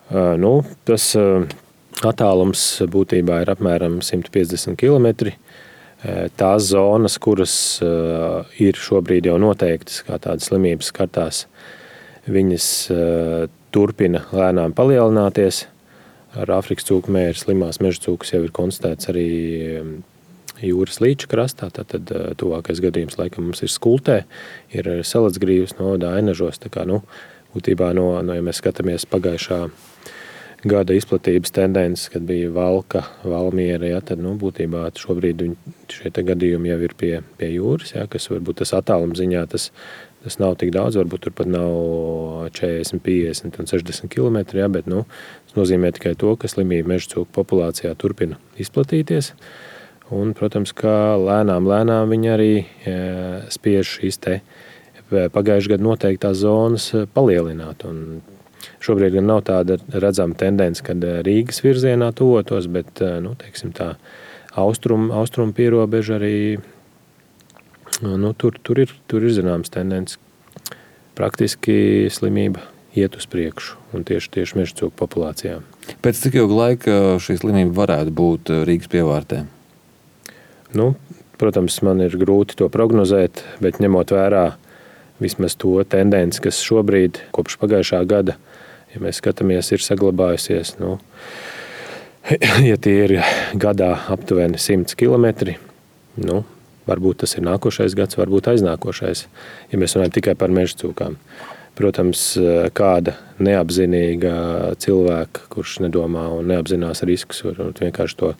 Tas attālums būtībā ir apmēram 150 km. Tās zonas, kuras ir šobrīd jau noteiktas kā tādas slimības kartās, viņas turpina lēnām palielināties. Ar Āfrikas cūku mēri slimās meža cūkas jau ir konstatēts arī jūras līča krastā. Tad tuvākais gadījums laikam mums ir Skultē, ir Salacgrīvas novadā Ainažos. Tā kā, būtībā ja mēs skatāmies pagājušā gada izplatības tendences, kad bija Valka, Valmiera, tad būtībā šobrīd šie gadījumi jau ir pie jūras, kas varbūt tas attāluma ziņā tas nav tik daudz, varbūt tur pat nav 40, 50 un 60 km, bet tas nozīmē tikai to, ka slimība meža cūku populācijā turpina izplatīties. Un, protams, ka lēnām viņi arī spiež šīs pagājušā gada noteiktās zonas palielināt. Un šobrīd gan nav tāda redzama tendence, kad Rīgas virzienā tuvotos, bet teiksim tā austrumu pierobeža arī tur ir zināms tendence. Praktiski slimība iet uz priekšu un tieši meža cūku populācijā. Pēc cik ilga laika šī slimība varētu būt Rīgas pievārtē? Protams, man ir grūti to prognozēt, bet ņemot vērā vismaz to tendenci, kas šobrīd kopš pagājušā gada, ja mēs skatāmies, ir saglabājusies, ja tie ir gadā aptuveni 100 km, varbūt tas ir nākošais gads, varbūt aiznākošais, ja mēs runājam tikai par meža cūkām. Protams, kāda neapzinīga cilvēka, kurš nedomā un neapzinās riskus, varbūt vienkārši to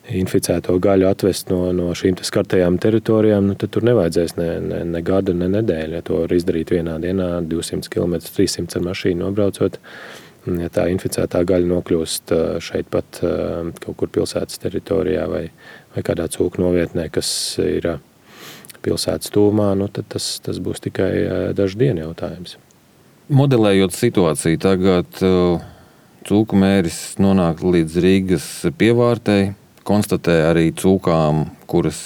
inficēto gaļu atvest no šīm skartajām teritorijām, tad tur nevajadzēs ne gadu, ne nedēļu. Ja to var izdarīt vienā dienā, 200 km, 300 ar mašīnu nobraucot, ja tā inficētā gaļa nokļūst šeit pat kaut kur pilsētas teritorijā vai kādā cūku novietnē, kas ir pilsētas tūmā, tad tas būs tikai dažu dienu jautājums. Modelējot situāciju, tagad cūku mēris nonāk līdz Rīgas pievārtei, konstatē arī cūkām, kuras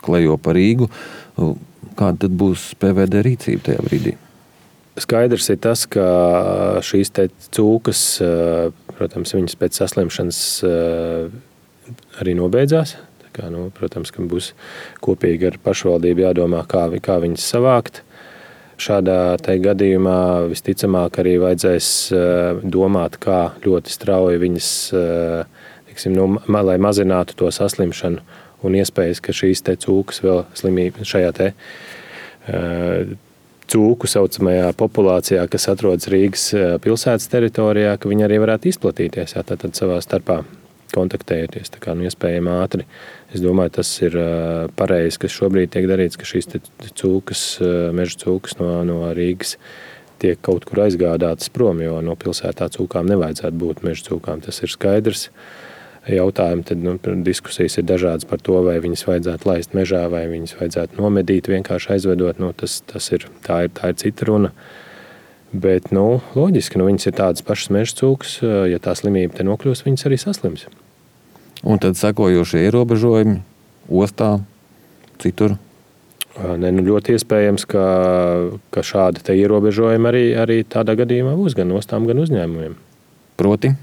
klejo pa Rīgu. Kāda tad būs PVD rīcība tajā brīdī? Skaidrs ir tas, ka šīs cūkas, protams, viņas pēc saslimšanas arī nobeidzās. Tā kā, protams, ka būs kopīgi ar pašvaldību jādomā, kā viņas savākt. Šādā gadījumā visticamāk arī vajadzēs domāt, kā ļoti strauji viņas, lai mazinātu to saslimšanu un iespējas, ka šīs cūkas vēl slimība šajā cūku saucamajā populācijā, kas atrodas Rīgas pilsētas teritorijā, ka viņi arī varētu izplatīties, tātad savā starpā kontaktējoties, tā kā iespējami ātri. Es domāju, tas ir pareizi, kas šobrīd tiek darīts, ka šīs cūkas, meža cūkas no Rīgas tiek kaut kur aizgādātas prom, jo no pilsētā cūkām nevajadzētu būt meža cūkām. Tas ir skaidrs. Jautājumi, tad diskusijas ir dažādas par to, vai viņas vajadzētu laist mežā, vai viņas vajadzētu nomedīt, vienkārši aizvedot. Tā ir cita runa. Bet, loģiski, viņas ir tādas pašas meža cūkas, ja tā slimība te nokļūs, viņas arī saslims. Un tad sekojošie ierobežojumi ostā, citur? Ļoti iespējams, ka šādi te ierobežojumi arī tādā gadījumā būs gan ostām, gan uzņēmumiem. Proti?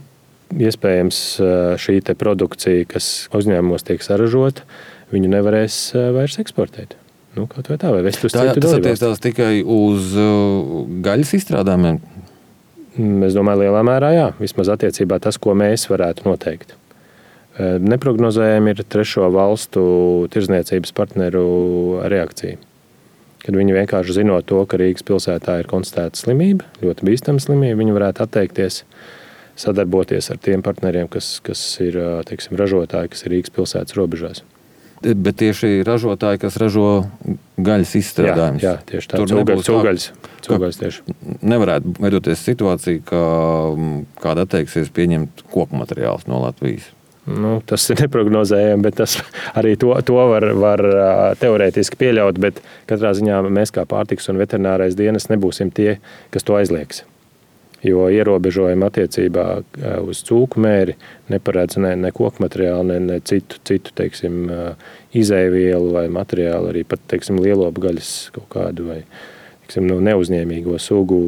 Iespējams, šī te produkcija, kas uzņēmumos tiek saražota, viņu nevarēs vairs eksportēt. Kaut vai tā, vai vest uz citu dalībvalsti. Tas attiecās tikai uz gaļas izstrādājumiem? Es domāju, lielā mērā jā. Vismaz attiecībā tas, ko mēs varētu noteikt. Neprognozējami ir trešo valstu tirdzniecības partneru reakcija. Kad viņi vienkārši zinot to, ka Rīgas pilsētā ir konstatēta slimība, ļoti bīstama slimība, viņi varētu atteikties sadarboties ar tiem partneriem, kas ir ražotāji, kas ir Rīgas pilsētas robežās. Bet tieši ražotāji, kas ražo gaļas izstrādājumus. Jā, tieši tā. Cūgaļas tieši. Nevarētu veidoties situācija, ka kāda atteiksies pieņemt koku materiālus no Latvijas. Tas ir neprognozējami, bet tas arī to var teorētiski pieļaut, bet katrā ziņā mēs kā pārtikas un veterinārais dienas nebūsim tie, kas to aizliegs. Jo ierobežojumi attiecībā uz cūku mēri neparedz ne koku materiālu, ne citu izēvielu vai materiālu, arī pat lielopu gaļas kaut kādu vai neuzņēmīgo sugu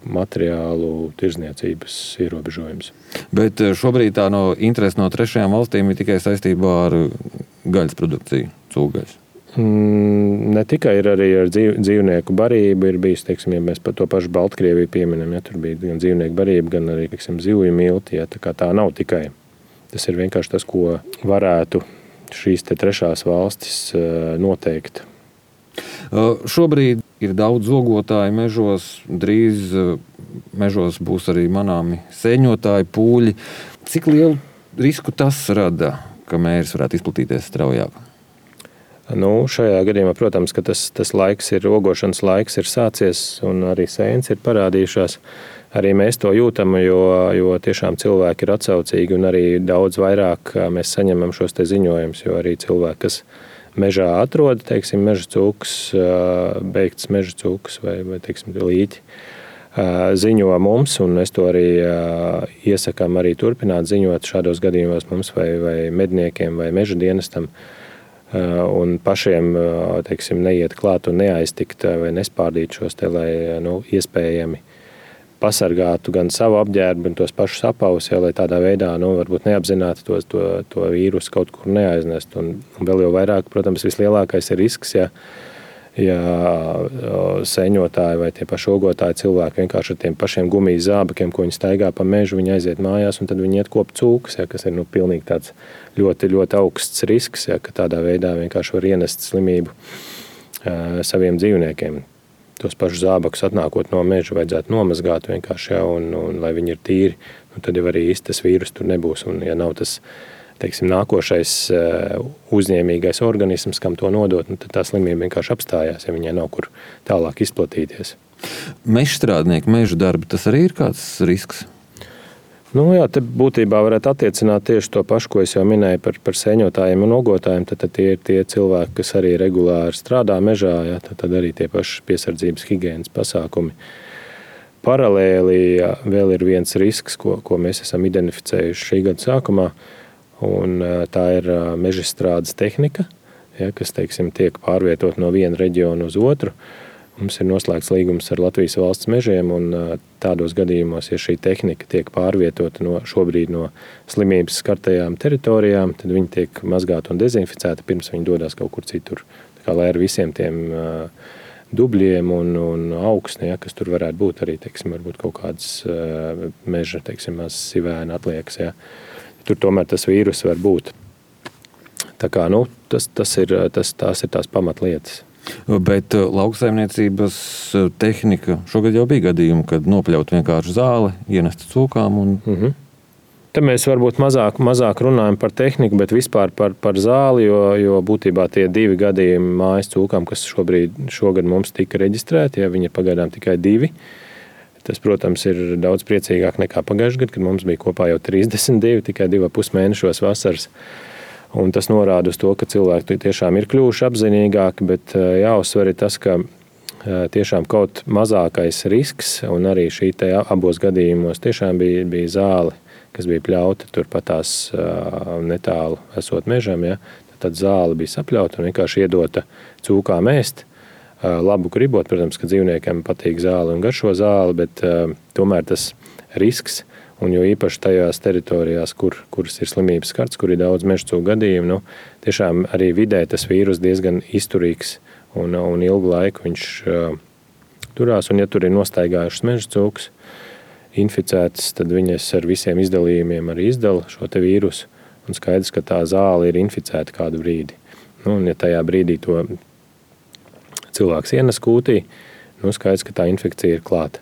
materiālu tirdzniecības ierobežojums. Bet šobrīd tā interese no trešajām valstīm ir tikai saistībā ar gaļas produkciju, cūgaļas. Ne tikai ir arī ar dzīvnieku barību, ir bijis, ja mēs par to pašu Baltkrieviju pieminam, tur bija gan dzīvnieku barība, gan arī, zivju milti, tā nav tikai. Tas ir vienkārši tas, ko varētu šīs trešās valstis noteikt. Šobrīd ir daudz zogotāju mežos, drīz mežos būs arī manāmi sēņotāji, pūļi. Cik lielu risku tas rada, ka mēris varētu izplatīties straujāk? Šajā gadījumā, protams, ka tas laiks ir, ogošanas laiks ir sācies un arī sēnes ir parādījušās. Arī mēs to jūtam, jo tiešām cilvēki ir atsaucīgi un arī daudz vairāk mēs saņemam šos ziņojumus, jo arī cilvēki, kas mežā atrod, meža cūkas, beigts meža cūkas vai līķi, ziņo mums, un mēs to arī iesakām arī turpināt ziņot šādos gadījumos mums vai medniekiem vai meža dienestam. Un pašiem neiet klāt un neaiztikt vai nespārdīt šos lai iespējami pasargātu gan savu apģērbu, gan tos pašus apavus, lai tādā veidā varbūt neapzināti to vīrusu kaut kur neaiznest. Un vēl jau vairāk, protams, vislielākais ir risks, ja sēņotāji vai tie paši ogotāji cilvēki vienkārši ar tiem pašiem gumijas zābakiem, ko viņi staigā pa mežu, viņi aiziet mājās un tad viņi iet kopt cūkas, kas ir pilnīgi tāds ļoti, ļoti augsts risks, ka tādā veidā vienkārši var ienest slimību saviem dzīvniekiem. Tos pašus zābakus atnākot no meža vajadzētu nomazgāt vienkārši, un lai viņi ir tīri, tad jau arī īsti tas vīrus tur nebūs. Un ja nav tas, nākošais uzņēmīgais organisms, kam to nodot, tad tā slimība vienkārši apstājās, ja viņai nav kur tālāk izplatīties. Mežstrādnieki, meža darbi, tas arī ir kāds risks? Jā, te būtībā varētu attiecināt tieši to pašu, ko es jau minēju par sēņotājiem un ogotājiem. Tad tie ir tie cilvēki, kas arī regulāri strādā mežā, tad arī tie paši piesardzības higienas pasākumi. Paralēli vēl ir viens risks, ko mēs esam identificējuši šī gada sākumā, un tā ir mežstrādes tehnika, kas tiek pārvietot no viena reģiona uz otru. Mums ir noslēgts līgums ar Latvijas valsts mežiem, un tādos gadījumos, ja šī tehnika tiek pārvietota šobrīd no slimības skartajām teritorijām, tad viņi tiek mazgāti un dezinficēti pirms viņi dodas kaut kur citur. Tā kā, lai ar visiem tiem dubļiem un augsne, kas tur varētu būt arī, varbūt kaut kādas meža, sivēna atliekas, tur tomēr tas vīrus var būt. Tā kā, tās ir tās pamatlietas. Bet lauksaimniecības tehnika šogad jau bija gadījumi, kad nopļaut vienkārši zāli, ienest cūkām. Te mēs varbūt mazāk runājam par tehniku, bet vispār par zāli, jo būtībā tie 2 gadījumi mājas cūkām, kas šogad mums tika reģistrēti, viņi ir pagaidām tikai 2. Tas, protams, ir daudz priecīgāk nekā pagājušajā gadā, kad mums bija kopā jau 32, tikai 2,5 mēnešos vasaras. Un tas norāda uz to, ka cilvēki tiešām ir kļuvuši apzinīgāki, bet jāuzsver ir tas, ka tiešām kaut mazākais risks, un arī šī te abos gadījumos tiešām bija zāle, kas bija pļauta turpatās netālu esot mežam. Tad zāle bija sapļauta un vienkārši iedota cūkām ēst. Labu gribot, protams, ka dzīvniekiem patīk zāle un garšo zāli, bet tomēr tas risks, un jo īpaši tajās teritorijās, kuras ir slimības skarts, kur ir daudz mežcūku gadījumu, tiešām arī vidē tas vīrus diezgan izturīgs un ilgu laiku viņš turās, un ja tur ir nostaigājušas mežcūkas inficētas, tad viņas ar visiem izdalījumiem arī izdala šo te vīrusu, un skaidrs, ka tā zāle ir inficēta kādu brīdi. Un ja tajā brīdī to cilvēks ienes kūtī, skaidrs, ka tā infekcija ir klāta.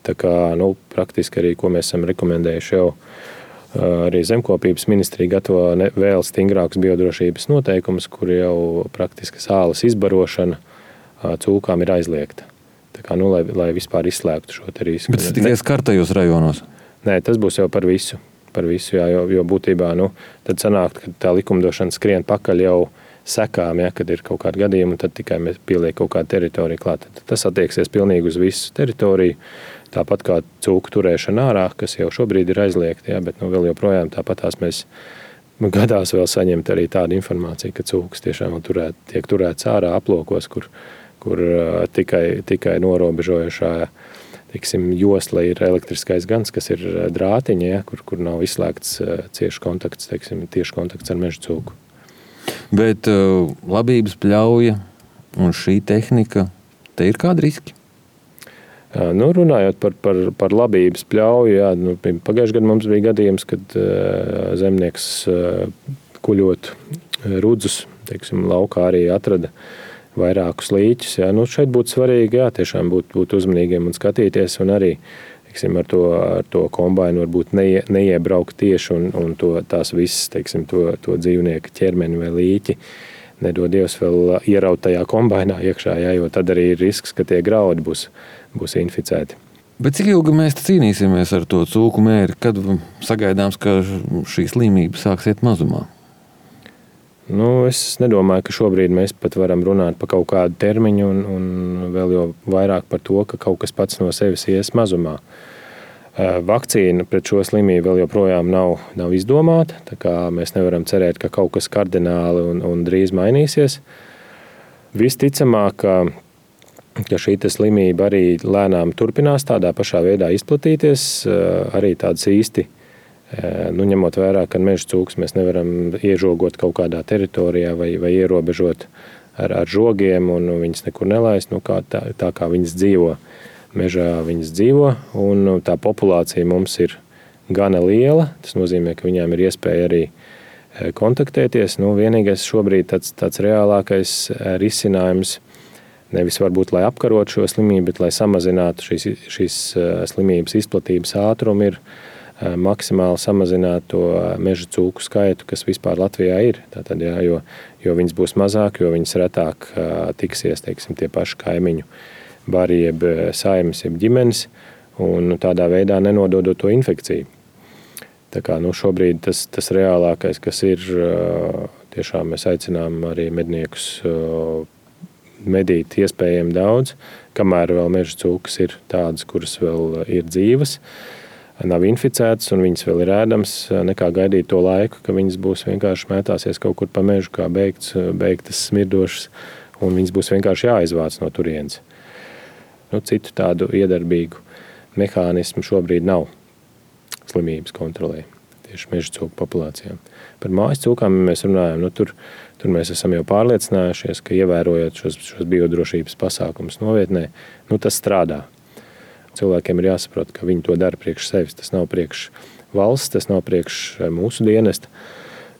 Tā kā praktiski arī, ko mēs esam rekomendējuši jau, arī Zemkopības ministrija gatavo vēl stingrākus biodrošības noteikumus, kur jau praktiski sāles izbarošana cūkām ir aizliegta. Tā kā, lai vispār izslēgtu šo te risku. Bet tas tikai skartajos rajonos? Nē, tas būs jau par visu, jo būtībā tad sanāk, ka tā likumdošana skrien pakaļ jau sekām, kad ir kaut kādi gadījumi, tad tikai mēs pieliek kaut kādu teritoriju klāt. Tas attieksies pilnīgi uz visu teritoriju, tāpat kā cūku turēšana ārā, kas jau šobrīd ir aizliegta, bet vēl joprojām tāpatās mēs gadās vēl saņemt arī tādu informāciju, ka cūkas tiešām tiek turētas ārā aplokos, kur kur tikai norobežojušā josla ir elektriskais gans, kas ir drātiņi, ja, kur nav izslēgts tieši kontakts ar meža cūku. Bet labības pļauja un šī tehnika, te ir kādi riski? Runājot par labības pļauju, jā, pagājušajā gadā mums bija gadījums, kad zemnieks kuļot rudzus, laukā arī atrada vairākus līķus. Jā. Šeit būtu svarīgi, jā, tiešām būt uzmanīgiem un skatīties, un arī ar to kombainu varbūt neiebraukt tieši un tās visas, to dzīvnieku ķermeni vai līķi nedod Dievs vēl ieraut tajā kombainā iekšā, jā, jo tad arī ir risks, ka tie graudi būs inficēti. Bet cik ilgi mēs cīnīsimies ar to cūku mēri, kad sagaidāms, ka šī slimība sāks iet mazumā? Es nedomāju, ka šobrīd mēs pat varam runāt par kaut kādu termiņu un vēl jau vairāk par to, ka kaut kas pats no sevis ies mazumā. Vakcīna pret šo slimību vēl joprojām nav izdomāta, tā kā mēs nevaram cerēt, ka kaut kas kardināli un drīz mainīsies. Visticamāk, ka šī slimība arī lēnām turpinās tādā pašā veidā izplatīties, arī tādas īsti, ņemot vērā, ka meža cūkas mēs nevaram iežogot kaut kādā teritorijā vai ierobežot ar žogiem un viņas nekur nelaist, tā kā viņas dzīvo. Mežā viņas dzīvo, un tā populācija mums ir gana liela. Tas nozīmē, ka viņām ir iespēja arī kontaktēties. Vienīgais šobrīd tāds reālākais risinājums, nevis varbūt, lai apkarotu šo slimību, bet lai samazinātu šīs slimības izplatības ātrumu, ir maksimāli samazināt to meža cūku skaitu, kas vispār Latvijā ir. Tātad, jā, jo viņas būs mazāk, jo viņas retāk tiksies, tie paši kaimiņu bari, jeb saimes, jeb ģimenes, un tādā veidā nenododot to infekciju. Tā kā šobrīd tas reālākais, kas ir, tiešām mēs aicinām arī medniekus medīt iespējami daudz, kamēr vēl meža cūkas ir tādas, kuras vēl ir dzīvas, nav inficētas un viņas vēl ir ēdams, nekā gaidīt to laiku, ka viņas būs vienkārši mētāsies kaut kur pa mežu, kā beigtas smirdošas, un viņas būs vienkārši jāizvāc no turienes. Citu tādu iedarbīgu mehānismu šobrīd nav slimības kontrolē, tieši meža cūku populācijām. Par mājas cūkām mēs runājam, tur mēs esam jau pārliecinājušies, ka ievērojot šos biodrošības pasākumus novietnē, tas strādā. Cilvēkiem ir jāsaprot, ka viņi to dara priekš sevis. Tas nav priekš valsts, tas nav priekš mūsu dienesta,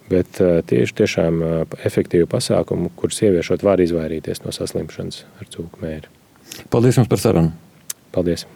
bet tiešām efektīvu pasākumu, kurus ieviešot var izvairīties no saslimšanas ar cūku mēri. Paldies jums par sarunu. Paldies.